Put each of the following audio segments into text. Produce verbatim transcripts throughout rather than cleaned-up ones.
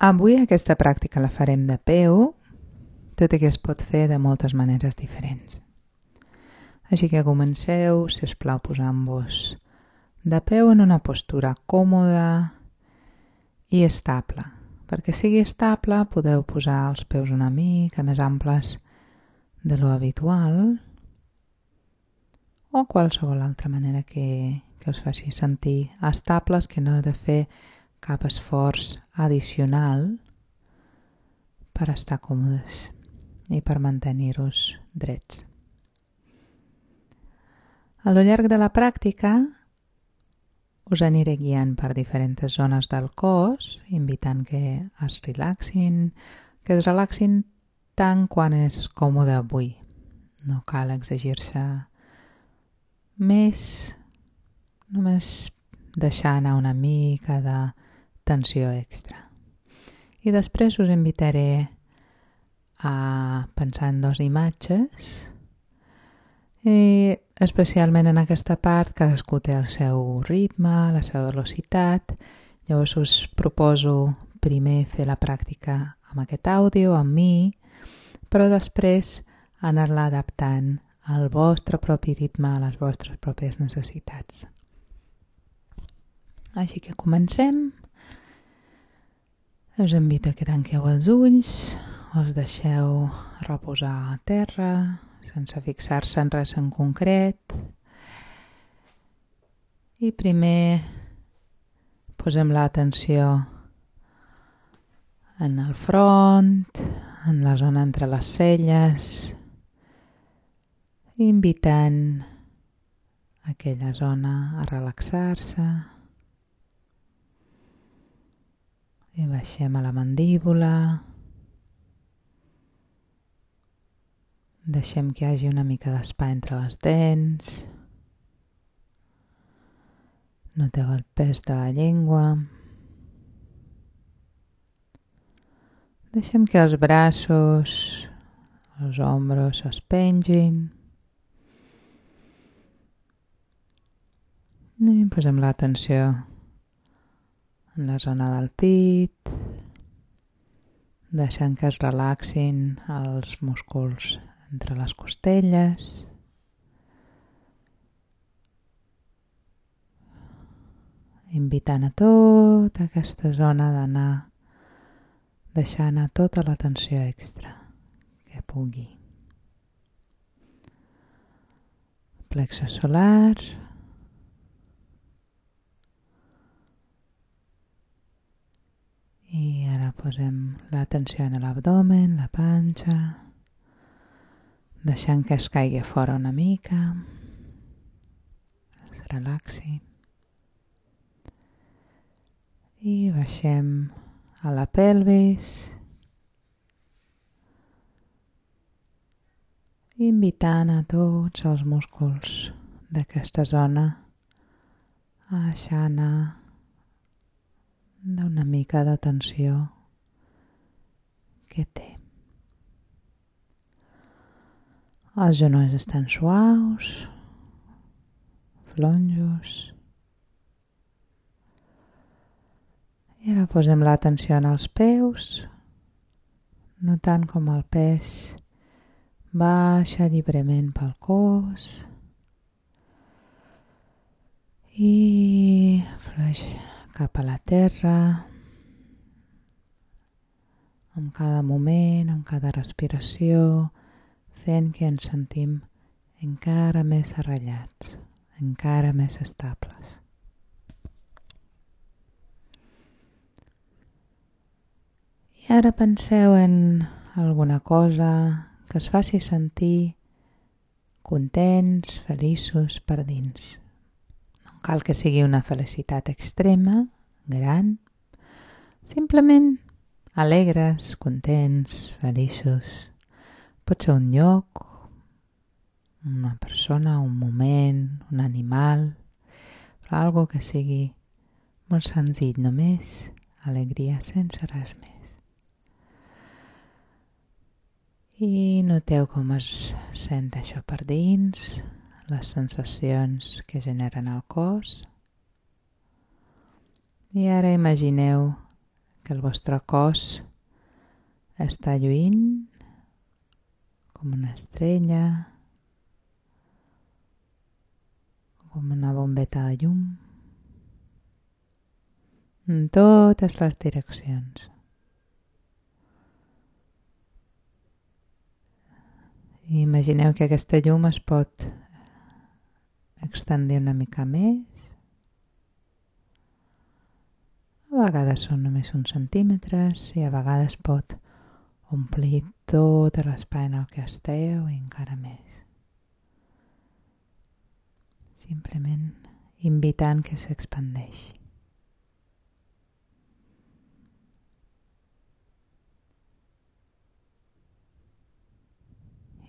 Avui aquesta pràctica la farem de peu, tot i que es pot fer de moltes maneres diferents. Així que comenceu, si us plau, posant-vos de peu en una postura còmoda i estable. Perquè sigui estable podeu posar els peus una mica més amples de lo habitual o qualsevol altra manera que, que us faci sentir estables, que no heu de fer cap esforç addicional per estar còmodes i per mantenir-vos drets. A lo llarg de la pràctica us aniré guiant per diferents zones del cos, invitant que es relaxin, que es relaxin tant quan és còmode avui. No cal exigir-se més, només deixar anar una mica de tensió extra. I després us invitaré a pensar en dues imatges i especialment en aquesta part cadascú té el seu ritme, la seva velocitat. Llavors us proposo primer fer la pràctica amb aquest àudio, amb mi, però després anar-la adaptant al vostre propi ritme, a les vostres pròpies necessitats. Així que comencem. Us invito a que tanqueu els ulls, us deixeu reposar a terra, sense fixar-se en res en concret. I primer posem l'atenció en el front, en la zona entre les celles, invitant aquella zona a relaxar-se. I baixem a la mandíbula. Deixem que hi hagi una mica d'espai entre les dents. Noteu el pes de la llengua. Deixem que els braços, els ombros es pengin. I posem l'atenció en la zona del pit, deixant que es relaxin els músculs entre les costelles. Invitant a tota aquesta zona d'anar deixant a tota la tensió extra que pugui. Plexos solars. I ara posem l'atenció en l'abdomen, la panxa, deixant que es caigui fora una mica, es relaxi. I baixem a la pelvis, invitant a tots els músculs d'aquesta zona a deixar anar d'una mica de tensió que té. Els genolls estan suaus, flonjos. I ara posem l'atenció en els peus, notant com el pes baixa lliurement pel cos i flueix cap a la terra, amb cada moment, amb cada respiració, fent que ens sentim encara més arrelats, encara més estables. I ara penseu en alguna cosa que us faci sentir contents, feliços per dins. No cal que sigui una felicitat extrema, gran, simplement alegres, contents, feliços. Pot ser un lloc, una persona, un moment, un animal, però algo que sigui molt senzill, només alegria, sense res més. I noteu com es sent això per dins, les sensacions que generen el cos. I ara imagineu que el vostre cos està lluint com una estrella, com una bombeta de llum, en totes les direccions. I imagineu que aquesta llum es pot extendir una mica més. A vegades són només uns centímetres i a vegades pot omplir tot l'espai en el que esteu i encara més. Simplement invitant que s'expandeixi.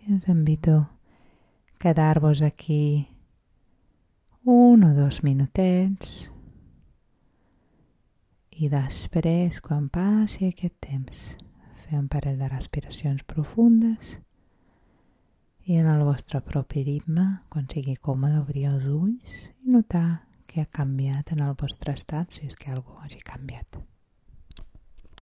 I us invito a quedar-vos aquí un o dos minutets i després, quan passi aquest temps, fer un parell de respiracions profundes i en el vostre propi ritme, quan sigui còmode, obrir els ulls i notar què ha canviat en el vostre estat, si és que alguna cosa hagi canviat.